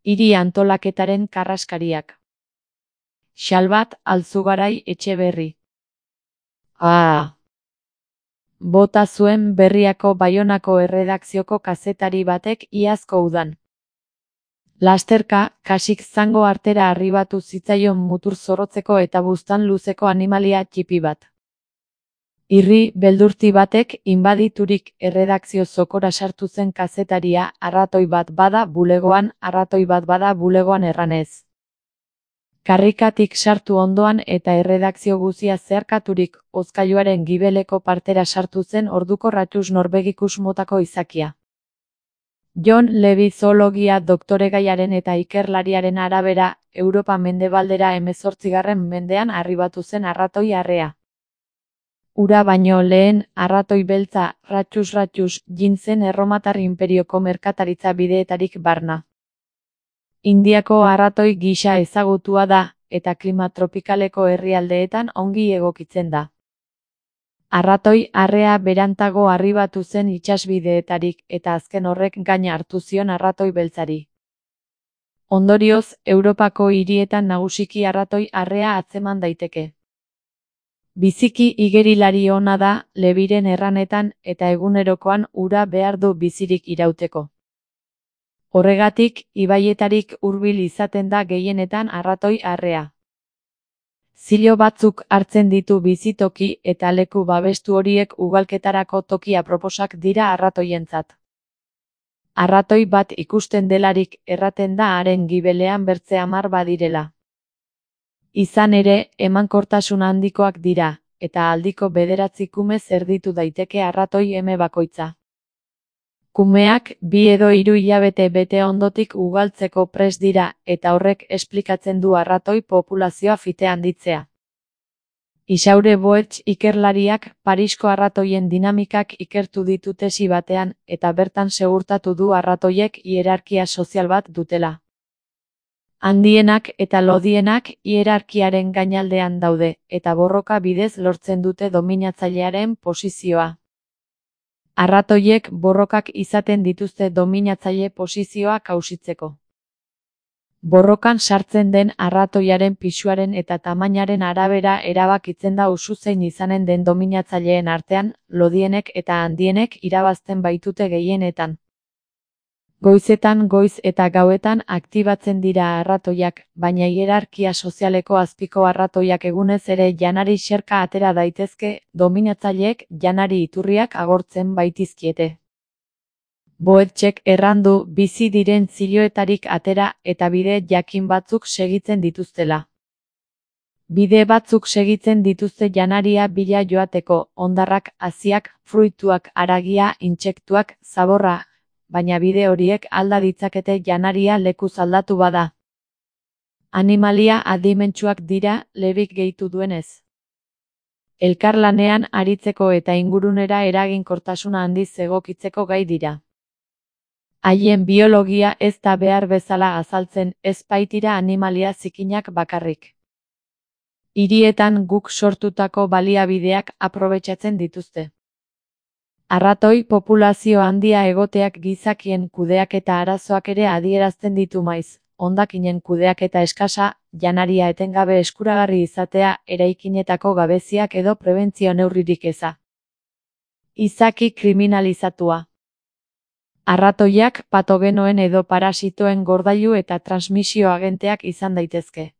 Hiri antolaketaren karraskariak. Xalbat Alzugarai Etxeberri. Bota zuen Berriako Baionako erredakzioko kazetari batek iazko udan. Lasterka, kasik zango artera arribatu zitzaion mutur zorrotzeko eta buztan luzeko animalia txipi bat. Irri beldurti batek inbaditurik erredakzio zokora sartu zen kazetaria arratoi bat bada bulegoan erranez. Karrikatik sartu ondoan eta erredakzio guzia zeharkaturik hozkailuaren gibeleko partera sartu zen orduko ratxus norbegikus motako izakia. Jon Levi zoologia doktoregaiaren eta ikerlariaren arabera, Europa mendebaldera 18. mendean arribatu zen arratoi arrea. Ura baino lehen, arratoi beltza, ratxus jin zen Erromatar Inperioko merkataritza bideetarik barna. Indiako arratoi gisa ezagutua da, eta klima tropikaleko herrialdeetan ongi egokitzen da. Arratoi arrea berantago arribatu zen itsasbideetarik eta azken horrek gaina hartu zion arratoi beltzari. Ondorioz, Europako hirietan nagusiki arratoi arrea atzeman daiteke. Biziki igerilari ona da, Leviren erranetan eta egunerokoan ura behar du bizirik irauteko. Horregatik, ibaietarik hurbil izaten da gehienetan arratoi arrea. Zilo batzuk hartzen ditu bizitoki eta leku babestu horiek ugalketarako toki aproposak dira arratoientzat. Arratoi bat ikusten delarik erraten da haren gibelean bertze 10 badirela. Izan ere, emankortasun handikoak dira, eta aldiko 9 kume zerditu daiteke arratoi eme bakoitza. Kumeak 2 edo 3 hilabete bete ondotik ugaltzeko prest dira, eta horrek esplikatzen du arratoi populazioa fite handitzea. Isaure Boetx ikerlariak Parisko arratoien dinamikak ikertu ditu tesi batean, eta bertan segurtatu du arratoiek hierarkia sozial bat dutela. Handienak eta lodienak hierarkiaren gainaldean daude, eta borroka bidez lortzen dute dominatzailearen posizioa. Arratoiek borrokak izaten dituzte dominatzaile posizioa kausitzeko. Borrokan sartzen den arratoiaren pisuaren eta tamainaren arabera erabakitzen da usu zein izanen den dominatzaileen artean, lodienek eta handienek irabazten baitute gehienetan. Goizetan goiz eta gauetan aktibatzen dira arratoiak, baina hierarkia sozialeko azpiko arratoiak egunez ere janari xerka atera daitezke, dominatzaileek janari iturriak agortzen baitizkiete. Boetxek errandu bizi diren ziloetarik atera eta bide jakin batzuk segitzen dituztela. Bide batzuk segitzen dituzte janaria bila joateko, hondarrak, haziak, fruituak, haragia, intsektuak, zaborra, baina bide horiek alda ditzakete janaria lekuz aldatu bada. Animalia adimentsuak dira, Levik gehitu duenez. Elkarlanean aritzeko eta ingurunera eraginkortasuna handiz egokitzeko gai dira. Haien biologia ez da behar bezala azaltzen, ez baitira animalia zikinak bakarrik. Hirietan guk sortutako baliabideak aprobetxatzen dituzte. Arratoi populazio handia egoteak gizakien kudeaketa arazoak ere adierazten ditu maiz, hondakinen kudeaketa eskasa, janaria etengabe eskuragarri izatea, eraikinetako gabeziak edo prebentzio neurririk eza. Izaki kriminalizatua. Arratoiak patogenoen edo parasitoen gordailu eta transmisio agenteak izan daitezke.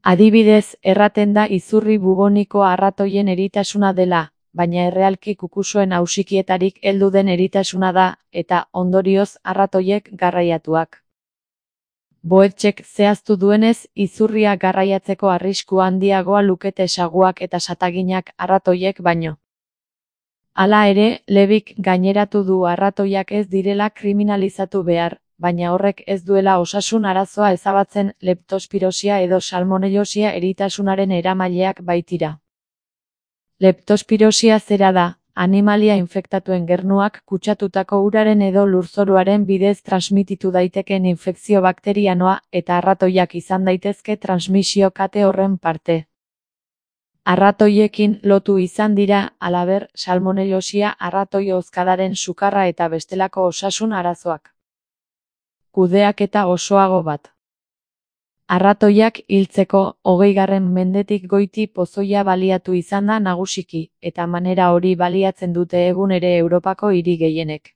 Adibidez, erraten da izurri buboniko arratoien eritasuna dela, baina errealki kukusuen ausikietarik heldu den eritasuna da, eta ondorioz arratoiek garraiatuak. Boetxek zehaztu duenez, izurria garraiatzeko arrisku handiagoa lukete saguak eta sataginak arratoiek baino. Hala ere, Levik gaineratu du arratoiak ez direla kriminalizatu behar, baina horrek ez duela osasun arazoa ezabatzen leptospirosia edo salmonellosia eritasunaren eramaileak baitira. Leptospirosia zera da, animalia infektatuen gernuak kutsatutako uraren edo lurzoruaren bidez transmititu daiteken infekzio bakterianoa eta arratoiak izan daitezke transmisio kate horren parte. Arratoiekin lotu izan dira, halaber, salmonellosia arratoi hozkadaren sukarra eta bestelako osasun arazoak. kudeaketa osoago bat. Arratoiak hiltzeko 20. mendetik goiti pozoia baliatu izan da nagusiki, eta manera hori baliatzen dute egun ere Europako hiri gehienek.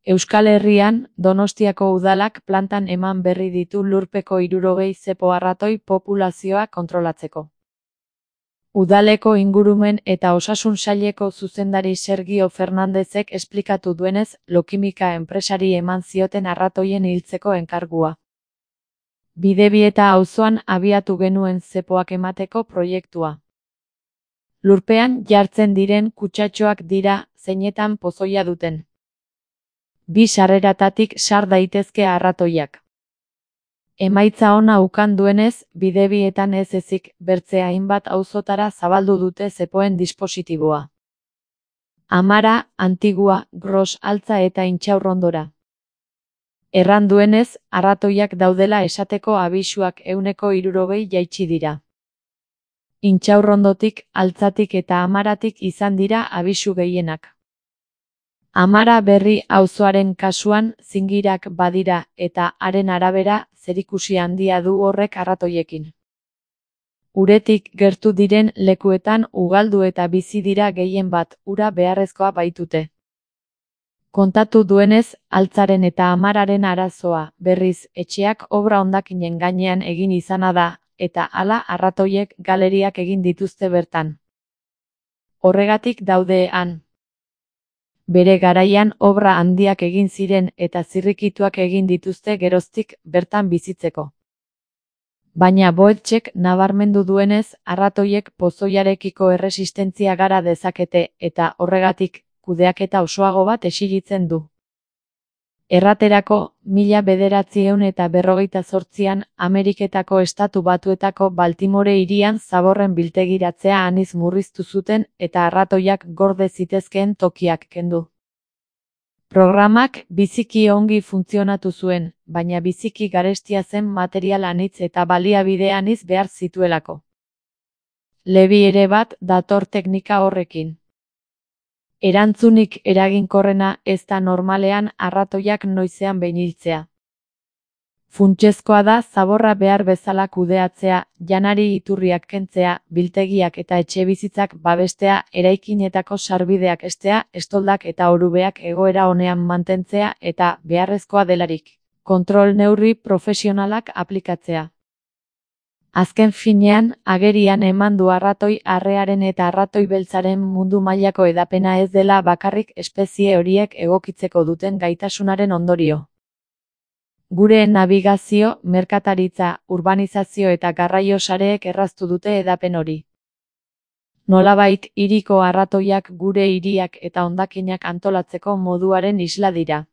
Euskal Herrian, Donostiako udalak plantan eman berri ditu lurpeko 60 zepo arratoi populazioa kontrolatzeko. Udaleko ingurumen eta osasun saileko zuzendari Sergio Fernandezek esplikatu duenez, Lokimika enpresari eman zioten arratoien hiltzeko enkargua. Bidebieta auzoan abiatu genuen zepoak emateko proiektua. Lurpean jartzen diren kutsatxoak dira, zeinetan pozoia duten. 2 sarreratatik sar daitezke arratoiak. Emaitza ona ukan duenez, bidebietan ez ezik, bertze hainbat auzotara zabaldu dute zepoen dispositiboa. Amara, Antigua, Gros Altza eta Intxaurrondora. Erran duenez, arratoiak daudela esateko abisuak 60 jaitsi dira. Intxaurrondotik, Altzatik eta Amaratik izan dira abisu gehienak. Amara Berri auzoaren kasuan zingirak badira eta haren arabera zerikusi handia du horrek arratoiekin. Uretik gertu diren lekuetan ugaldu eta bizi dira gehien bat, ura beharrezkoa baitute. Kontatu duenez, Altzaren eta Amararen arazoa, berriz, etxeak obra hondakinen gainean egin izana da, eta hala arratoiek galeriak egin dituzte bertan. Horregatik daude han. Bere garaian obra handiak egin ziren eta zirrikituak egin dituzte geroztik bertan bizitzeko. Baina Boetxek nabarmendu duenez, arratoiek pozoiarekiko erresistentzia gara dezakete eta horregatik kudeaketa osoago bat exigitzen du. Erraterako, 1948an Ameriketako Estatu Batuetako Baltimore hirian zaborren biltegiratzea aniz murriztu zuten eta arratoiak gorde zitezkeen tokiak kendu. Programak biziki ongi funtzionatu zuen, baina biziki garestia zen material anitz eta baliabide anitz behar zituelako. Lebi ere bat dator teknika horrekin. Erantzunik eraginkorrena ez da normalean arratoiak noizean behin hiltzea. Funtsezkoa da zaborra behar bezala kudeatzea, janari iturriak kentzea, biltegiak eta etxebizitzak babestea, eraikinetako sarbideak hestea, estoldak eta orubeak egoera onean mantentzea eta, beharrezkoa delarik, kontrol neurri profesionalak aplikatzea. Azken finean, agerian eman du arratoi arrearen eta arratoi beltzaren mundu mailako hedapena ez dela bakarrik espezie horiek egokitzeko duten gaitasunaren ondorio. Gure nabigazio, merkataritza, urbanizazio eta garraio sareek erraztu dute hedapen hori. Nolabait, hiriko arratoiak gure hiriak eta hondakinak antolatzeko moduaren isla dira.